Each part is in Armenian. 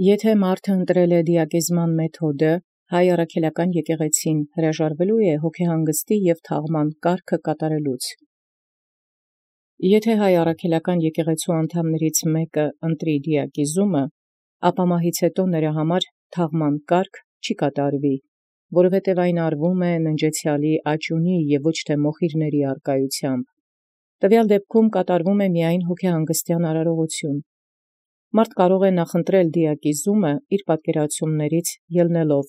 Եթե մարդը ընտրել է դիակիզման մեթոդը, հայ առաքելական եկեղեցին հրաժարվելու է հոգեհանգստի և թաղման կարգը կատարելուց։ Եթե հայ առաքելական եկեղեցու անդամներից մեկը ընտրի դիակիզումը, ապա մահից հետո նրա համար թաղման կարգ չի կատարվի, որովհետև այն արվում է ննջեցյալի աճյունի և ոչ թե մոխիրների առկայությամբ։ Տվյալ դեպքում կատարվում է միայն հոգեհանգստյան արարողություն։ Մարդ կարող է նախընտրել դիակիզումը իր պատկերացումներից ելնելով։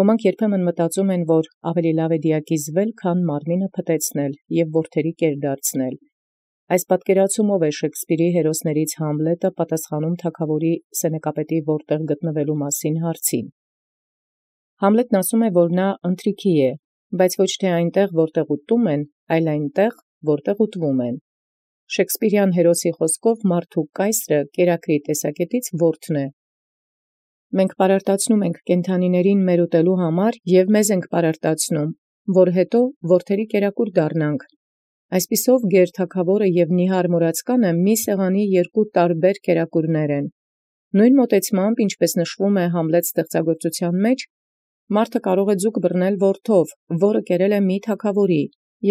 Ոմանք երբեմն մտածում են, որ ավելի լավ է դիակիզվել, քան մարմինը փտեցնել և որդերի կեր դարձնել։ Այս պատկերացումով է Շեքսպիրի հերոսներից Համլետը պատասխանում թագավորի սենեկապետի որտեղ գտնվելու մասին հարցին։ Համլետն ասում է, որ նա ընթրիքի է, բայց ոչ թե այնտեղ, որտեղ ուտում են, այլ այնտեղ, որտեղ ուտվում են։ Շեքսպիրյան հերոսի խոսքով մարդու կայսրը կերակրի տեսակետից որդն է։ Մենք պարարտացնում ենք կենդանիներին մեր ուտելու համար և մեզ ենք պարարտացնում, որ հետո որդերի կերակուր դառնանք։ Այսպիսով գեր թագավորը և նիհար մուրացկանը մի սեղանի երկու տարբեր կերակուրներ են։ Նույն մոտեցմամբ, ինչպես նշվում է Համլետ ստեղծագործության մեջ, մարդը կարող է ձուկ բռնել որդով, որը կերել է մի թագավորի,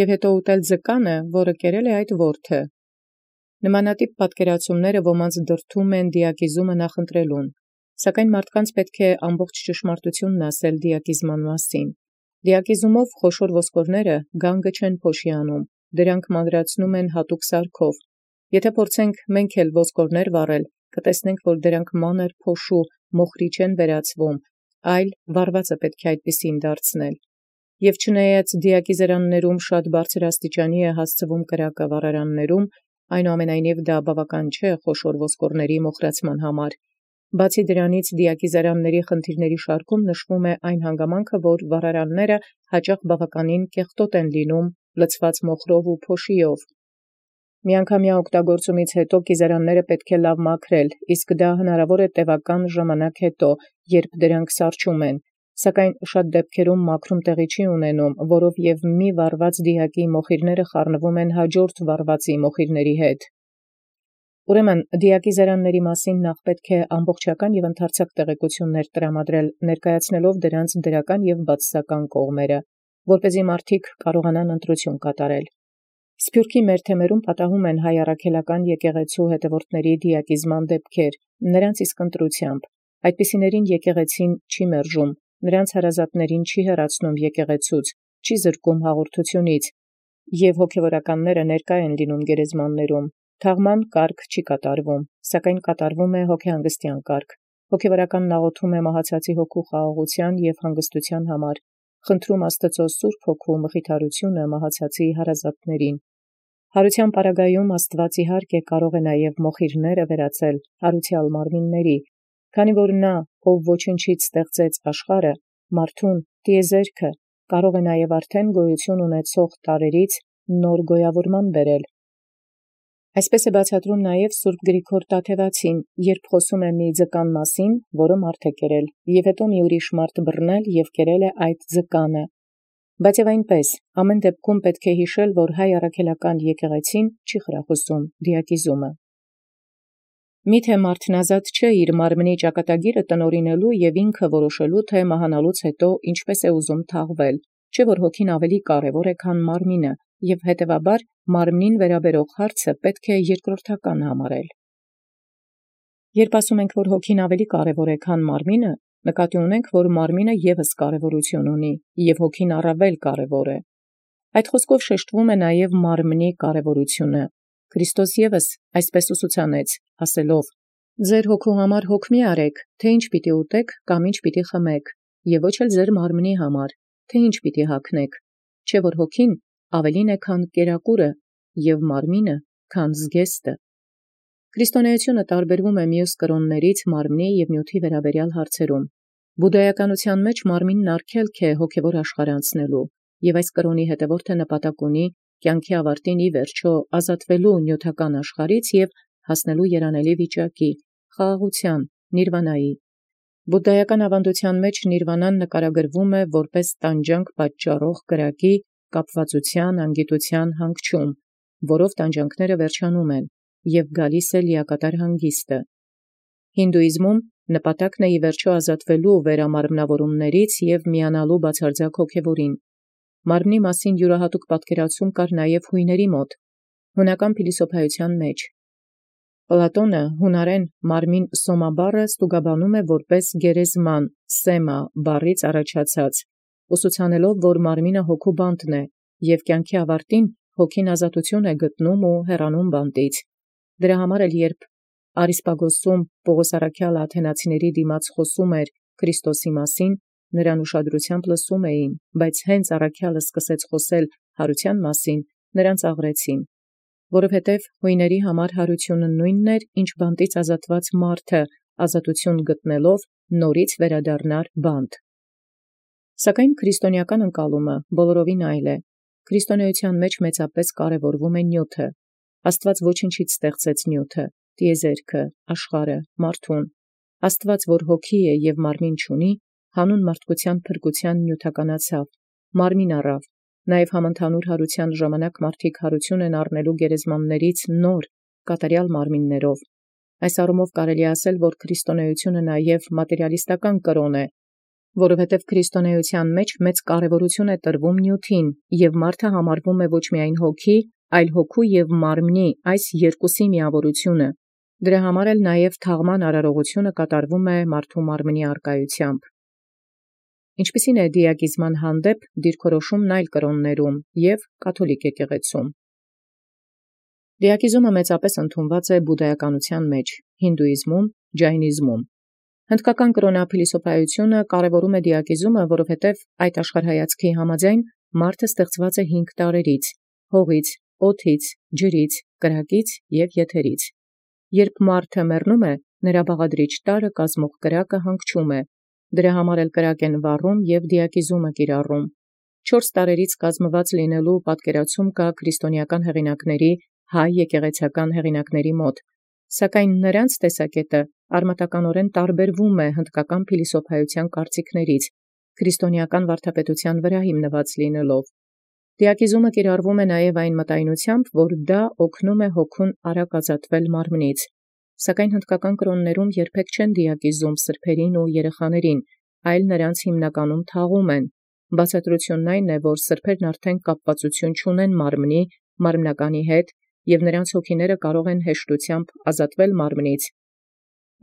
և հետո ուտել ձկանը, որը կերել է այդ որդը։ Նմանատիպ պատկերացումները ոմանց դրդում են դիակիզումը նախընտրելուն, սակայն մարդկանց պետք է ամբողջ ճշմարտությունն ասել դիակիզման մասին։ Դիակիզումով խոշոր ոսկորները գանգը չեն փոշիանում, դրանք մանրացնում են հատուկ սարքով։ Եթե փորձենք մենք էլ ոսկորներ վառել, կտեսնենք, որ դրանք մանր փոշու մոխրի չեն վերածվում, այլ վառվածը պետք է այդպիսին դարձնել։ Եվ չնայած դիակիզերաններում շատ բարձր աստիճանի է հասցվում կրակը վառարաններում, այնուամենայնիվ դա բավական չէ խոշոր ոսկորների մոխրացման համար։ Բացի դրանից դիակիզերանների խնդիրների շարքում նշվում է այն հանգամանքը, որ վառարանները հաճախ բավականին կեղտոտ են լինում, լցված մոխրով ու փոշիով։ Միանգամյա օգտագործումից հետո կիզերանները պետք է լավ մաքրել, իսկ դա հնարավոր է տևական ժամանակ հետո, երբ դրանք սառչում են, սակայն շատ դեպքերում մաքրում տեղի չի ունենում, որով և մի վառված դիակի մոխիրները խառնվում են հաջորդ վառվածի մոխիրների հետ։ Ուրեմն դիակիզերանների մասին նախ պետք է ամբողջական և ընդարձակ տեղեկություններ տրամադրել, ներկայացնելով դրանց դրական և բացասական կողմերը, որպեսզի մարդիկ կարողանան ընտրություն կատարել։ Սփյուռքի մեր թեմերում պատահում են հայ առաքելական եկեղեցու հետևորդների դիակիզման դեպքեր, նրանց իսկ ընտրությամբ։ Այդպիսիներին եկեղեցին չի մերժում, նրանց հարազատներին չի հեռացնում եկեղեցուց, չի զրկում հաղորդությունից, և հոգևորականները ներկա են լինում գերեզմաններում։ Թաղման կարգ չի կատարվում, սակայն կատարվում է հոգեհանգստյան կարգ։ Հոգևորականն աղոթում է մահացածի հոգու խաղաղության և հանգստության համար, խնդրում Աստծո Սուրբ Հոգու մխիթարությունը մահացածի հարազատներին։ Հարության պարագայում Աստված իհարկե կարող է նաև մոխիրները վերածել հարուցյալ մարմինների, քանի որ նա, ով ոչնչից ստեղծեց աշխարհը, մարդուն, տիեզերքը, կարող է նաև արդեն գոյություն ունեցող տարրերից նոր գոյավորման բերել։ Այսպես է բացատրում նաև Սուրբ Գրիգոր Տաթևացին, երբ խոսում է մի ձկան մասին, որը մարդ է կերել, և հետո մի ուրիշ մարդ բռնել և կերել է այդ ձկանը։ Բայց և այնպես, ամեն դեպքում պետք է հիշել, որ հայ առաքելական եկեղեցին չի խրախուսում դիակիզումը։ Միթե մարդն ազատ չէ իր մարմնի ճակատագիրը տնօրինելու և ինքը որոշելու, թե մահանալուց հետո ինչպես է ուզում թաղվել, չէ՞ որ հոգին ավելի կարևոր է, քան մարմինը, և հետևաբար մարմնին վերաբերող հարցը պետք է երկրորդական համարել։ Երբ ասում ենք, որ հոգին ավելի կարևոր է, քան մարմինը, նկատի ունենք, որ մարմինը ևս կարևորություն ունի, և հոգին առավել կարևոր է։ Այդ խոսքով շեշտվում է նաև մարմնի կարևորությունը։ Քրիստոս ևս այսպես ուսուցանեց, ասելով. «Ձեր հոգու համար հոգ մի արեք, թե ինչ պիտի ուտեք կամ ինչ պիտի խմեք, և ոչ էլ ձեր մարմնի համար, թե ինչ պիտի հագնեք, չէ որ հոգին ավելին է, քան կերակուրը, և մարմինը, քան զգեստը»։ Քրիստոնեությունը տարբերվում է մյուս կրոններից մարմնի և նյութի վերաբերյալ հարցերում։ Բուդդայականության մեջ մարմինն արգելք է հոգևոր աշխարհ անցնելու, և այս կրոնի հետևորդը նպատակ ունի կյանքի ավարտին ի վերջո ազատվելու նյութական աշխարհից և հասնելու երանելի վիճակի, խաղաղության, նիրվանայի։ Բուդդայական ավանդության մեջ նիրվանան նկարագրվում է որպես տանջանք պատճառող կրակի, կապվածության, անգիտության հանգչում, որով տանջանքները վերջանում են, և գալիս է լիակատար հանգիստը։ Հինդուիզմում նպատակն է ի վերջոյ ազատվելու վերամարմնավորումներից և միանալու բացարձակ հոգևորին։ Մարմնի մասին յուրահատուկ պատկերացում կար նաև հույների մոտ։ Հունական փիլիսոփայության մեջ Պլատոնը հունարեն մարմին սոմա բառը ստուգաբանում է որպես գերեզման սեմա բառից առաջացած, ուսուցանելով, որ մարմինը հոգու բանտն է, և կյանքի ավարտին հոգին ազատություն է գտնում ու հեռանում բանտից։ Դրա համար էլ երբ Արիսպագոսում Պողոս առաքյալը աթենացիների դիմաց խոսում էր Քրիստոսի մասին, նրան ուշադրությամբ լսում էին, բայց հենց առաքյալը սկսեց խոսել յարության մասին, նրան ծաղրեցին, որովհետև հույների համար յարությունը նույնն էր, ինչ բանտից ազատված մարդը ազատություն գտնելով նորից վերադառնար բանտ։ Սակայն քրիստոնեական ընկալումը բոլորովին այլ է։ Քրիստոնեության մեջ մեծապես կարևորվում է նյութը։ Աստված ոչնչից ստեղծեց նյութը, տիեզերքը, աշխարհը, մարդուն։ Աստված, որ հոգի է և մարմին չունի, հանուն մարդկության փրկության նյութականացավ, մարմին առավ, նաև համընդհանուր յարության ժամանակ մարդիկ յարություն են առնելու գերեզմաններից նոր, կատարյալ մարմիններով։ Այս առումով կարելի ասել, որ քրիստոնեությունը նաև մատերիալիստական կրոն է, որովհետև քրիստոնեության մեջ մեծ կարևորություն է տրվում նյութին, և մարդը համարվում է ոչ միայն հոգի, այլ հոգու և մարմնի այս երկուսի միավորությունը։ Դրա համար էլ նաև թաղման արարողությունը կատարվում է մարդու մարմնի առկայությամբ։ Ինչպիսին է դիակիզման հանդեպ դիրքորոշումն այլ կրոններում և կաթոլիկ եկեղեցում։ Դիակիզումը մեծապես ընդունված է բուդդայականության մեջ, հինդուիզմում, ջայնիզմում։ Հնդկական կրոնափիլիսոփայությունը կարևորում է դիակիզումը, որովհետև այդ աշխարհայացքի համաձայն մարդը ստեղծված է 5 տարրերից՝ հողից, օդից, ջրից, կրակից և եթերից։ Երբ մարդը մեռնում է, նրա բաղադրիչ տարրը կազմող կրակը հանգչում է։ Դրա համար էլ կրակ են վառում և դիակիզումը կիրառում։ 4 տարրերից կազմված լինելու պատկերացում կա քրիստոնեական հեղինակների, հայ եկեղեցական հեղինակների մոտ, սակայն նրանց տեսակետը արմատականորեն տարբերվում է հնդկական փիլիսոփայության կարծիքներից, քրիստոնեական վարդապետության վրա հիմնված լինելով։ Դիակիզումը կիրառվում է նաև այն մտայնությամբ, որ դա օգնում է հոգուն արագ ազատվել մարմնից։ Սակայն հնդկական կրոններում երբեք չեն դիակիզում սրբերին ու երեխաներին, այլ նրանց հիմնականում թաղում են։ Բացատրությունն այն է, որ սրբերն արդեն կապվածություն չունեն մարմնի, մարմնականի հետ, և նրանց հոգիները կարող են հեշտությամբ ազատվել մարմնից։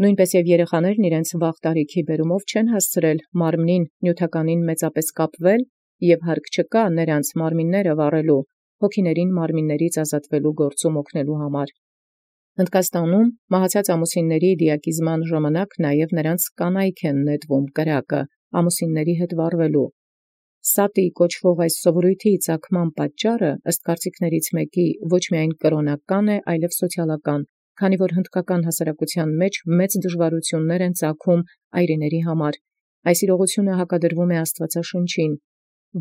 Նույնպես և երեխաներն իրենց վաղ տարիքի բերումով չեն հասցրել մարմնին նյութականին մեծապես կապվել, և հարկ չկա նրանց մարմինները վառելու, հոգիներին մարմիններից ազատվելու գործում օգնելու համար։ Հնդկաստանում մահացած ամուսինների դիակիզման ժամանակ նաև նրանց կանայք են նետվում կրակը ամուսինների հետ վառվելու։ Սատի կոչվող այս սովորույթի ծագման պատճառը ըստ կարծիքներից մեկի ոչ միայն կրոնական է, այլև սոցիալական, քանի որ հնդկական հասարակության մեջ մեծ դժվարություններ են ծագում այրիների համար։ Այս իրողությունը հակադրվում է Աստվածաշնչին,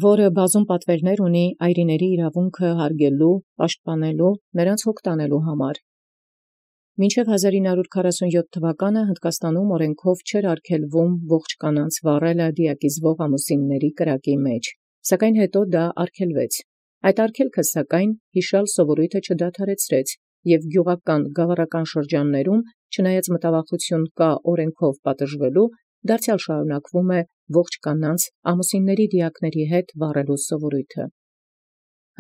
որը բազում պատվերներ ունի այրիների իրավունքը հարգելու, պաշտպանելու, նրանց հոգ տանելու համար։ Մինչև 1947 թվականը Հնդկաստանում օրենքով չէր արգելվում ողջ կանանց վառելը դիակիզվող ամուսինների կրակի մեջ, սակայն հետո դա արգելվեց։ Այդ արգելքը, սակայն, հիշյալ սովորույթը չդադարեցրեց, և գյուղական գավառական շրջաններում, չնայած մտավախություն կա օրենքով պատժվելու, դարձյալ շարունակվում է ողջ կանանց ամուսինների դիակների հետ վառելու սովորույթը։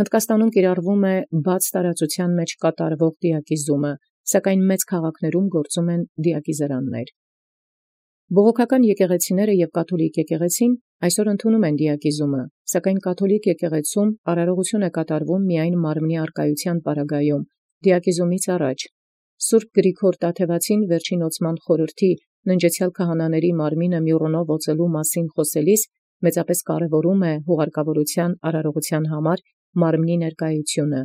Հնդկաստանում կիրառվում է բաց տարածության մեջ կատարվող դիակիզումը, սակայն մեծ քաղաքներում գործում են դիակիզարաններ։ Բողոքական եկեղեցիները և կաթոլիկ եկեղեցին այսօր ընդունում են դիակիզումը, սակայն կաթոլիկ եկեղեցում արարողություն է կատարվում միայն մարմնի առկայության պարագայում, դիակիզումից առաջ։ Սուրբ Գրիգոր Տաթևացին վերջին ոցման խորհրդի ննջեցյալ քահանաների մարմինը մյուռոնով օծելու մասին խոսելիս մեծապես կարևորում է հուղարկավորության արարողության համար մարմնի ներկայությունը։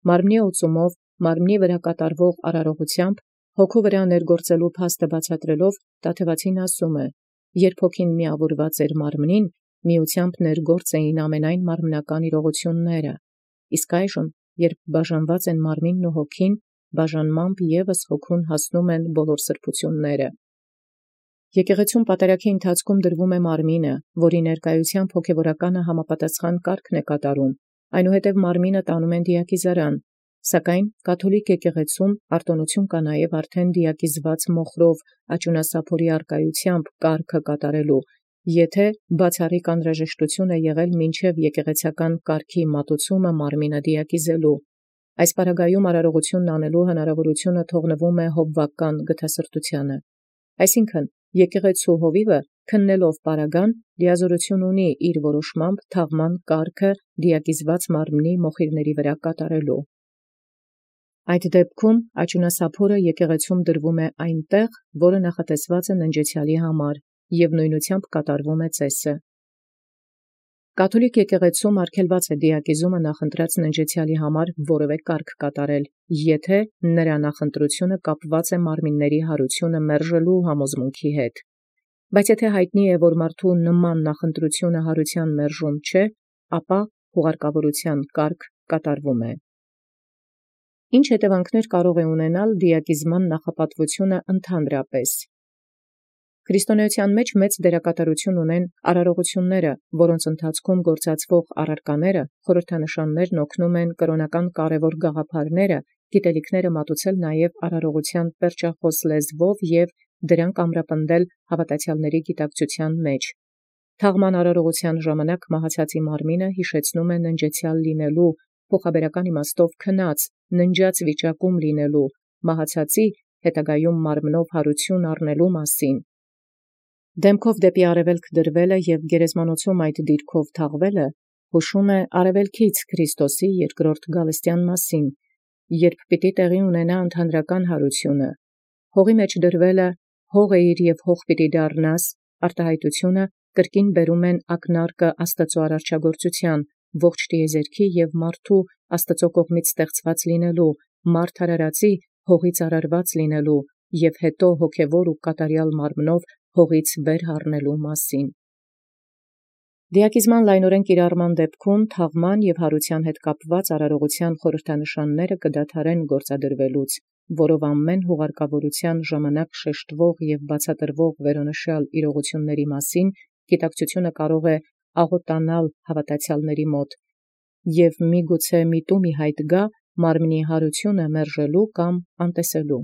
Մարմնի օծումով, մարմնի վրա կատարվող արարողությամբ, հոգու վրա ներգործելու փաստը բացատրելով, Տաթևացին ասում է. երբ հոգին միավորված էր մարմնին, միությամբ ներգործ էին ամենայն մարմնական իրողությունները, իսկ այժմ, երբ բաժանված են մարմինն ու հոգին, բաժանմամբ ևս հոգուն հասնում են բոլոր սրբությունները։ Եկեղեցում պատարագի ընթացքում դրվում է մարմինը, որի ներկայությամբ հոգևորականը համապատասխան կարգն է կատարում, այնուհետև մարմինը տանում են դիակիզարան, Սակայն կաթոլիկ եկեղեցում արտոնություն կա նաև արդեն դիակիզված մոխրով աճունասափորի արկայությամբ կարգը կատարելու, եթե բացառիկ անհրաժեշտություն է եղել մինչև եկեղեցական կարգի մատուցումը մարմինը դիակիզելու։ Այս պարագայում արարողությունն անելու հնարավորությունը թողնվում է հովվական գթասրտութեանը։ Այսինքն եկեղեցու հովիվը քննելով պարագան լիազորություն ունի իր որոշմամբ թաղման կարգը դիակիզված մարմնի մոխիրների վրա կատարելու։ Այդ դեպքում աճունասափորը եկեղեցում դրվում է այնտեղ, որը նախատեսված է ննջեցյալի համար, և նույնությամբ կատարվում է ծեսը։ Կաթոլիկ եկեղեցում արգելված է դիակիզումը նախընտրած ննջեցյալի համար որևէ կարգ կատարել, եթե նրա նախընտրությունը կապված է մարմինների յարությունը մերժելու համոզմունքի հետ։ Բայց եթե հայտնի է, որ մարդու նման նախընտրությունը յարության մերժում չէ, ապա հուղարկավորության կարգ կատարվում է։ Ինչ հետևանքներ կարող է ունենալ դիակիզման նախապատվությունը ընդհանրապես։ Քրիստոնեության մեջ մեծ դերակատարություն ունեն արարողությունները, որոնց ընթացքում գործածվող առարկաները, խորհրդանշաններն օգնում են կրոնական կարևոր գաղափարները, գիտելիքները մատուցել նաև արարողության պերճախոս լեզվով և դրանք ամրապնդել հավատացյալների գիտակցության մեջ։ Թաղման արարողության ժամանակ մահացածի մարմինը հիշեցնում է ննջեցյալ լինելու, փոխաբերական իմաստով քնած, ննջած վիճակում լինելու, մահացածի հետագայում մարմնով յարություն առնելու մասին։ Դեմքով դեպի արևելք դրվելը և գերեզմանոցում այդ դիրքով թաղվելը հուշում է արևելքից Քրիստոսի երկրորդ գալստյան մասին, երբ պիտի տեղի ունենա ընդհանրական յարությունը։ Հողի մեջ դրվելը հող էիր և հող պիտի դառնաս, արտահայտությունը կրկին բերում են ակնարկը Աստծո արարչագործության, ողջ տիեզերքի և մարդու Աստծո կողմից ստեղծված լինելու, մարդ արարածի հողից արարված լինելու և հետո հոգևոր ու կատարյալ մարմնով հողից վեր առնելու մասին։ Դիակիզման լայնորեն կիրառման դեպքում թաղման և յարության հետ կապված արարողության խորհրդանշանները կդադարեն գործադրվելուց, որով ամեն հուղարկավորության ժամանակ շեշտվող և բացատրվող վերոնշյալ իրողությունների մասին գիտակցությունը կարող է աղոտանալ հավատացյալների մոտ, և միգուցե միտումի հայտ գա մարմնի յարությունը մերժելու կամ անտեսելու։